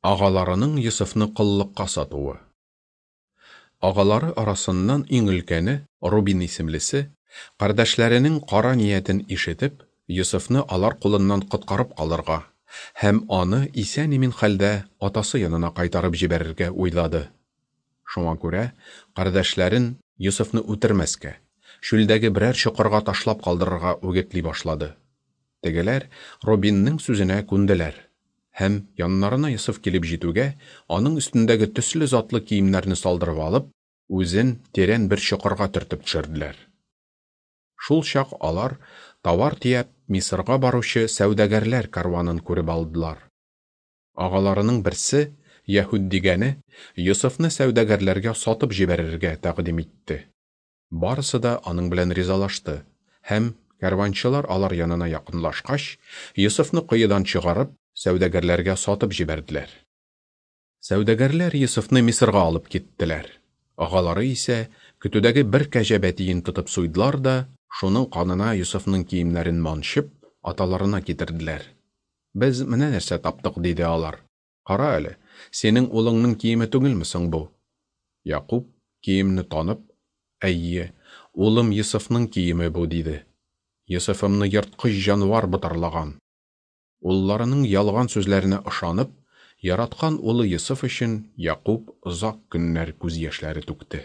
Агаларының Йосыфны коллыкка сатуы. Агалары арасыннан иң өлкәне, Рубин исемлесе, кардәшләренең кара ниятен ишетеп, Йосыфны алар кулыннан коткарып калырга һәм аны исән-имин хәлдә атасы янына кайтарып җибәрергә уйлады. Шуңа күрә кардәшләрен Йосыфны үтермәскә, чүлдәге берәр чокырга ташлап калдырырга үгетли башлады. Тегеләр Робинның сүзенә күнделәр. Һәм, яннарына Йосыф килеп җитүгә, аның өстендәге төсле затлы киемнәрне салдырып алып, үзен тирән бер чокырга төртеп төшерделәр. Шул чак алар, товар төяп, Мисырга баручы сәүдәгәрләр кәрванын күреп алдылар. Агаларының берсе, Яһүд дигәне, Йосыфны сәүдәгәрләргә сатып җибәрергә тәкъдим итте. Барысы да аның белән ризалашты һәм, кәрванчылар алар янына якынлашкач, Йосыфны коедан чыгарып, сәүдәгәрләргә сатып җибәрделәр. Сәүдәгәрләр Йосыфны Мисырга алып киттеләр. Агалары исә көтүдәге бер кәҗә бәтиен тотып суйдылар да, шуның канына Йосыфның киемнәрен манчып, аталарына китерделәр. Без менә нәрсә таптык, диде алар. Кара әле, синең улыңның киеме түгелме соң бу? Якуб, киемне танып, Әйе, улым Йосыфның киеме бу, диде. Йосыфымны ерткыч җанвар ботарлаган. Улларының ялган сүзләренә ышанып, яраткан улы Йосыф өчен Якуб озак көннәр күз яшьләре түкте.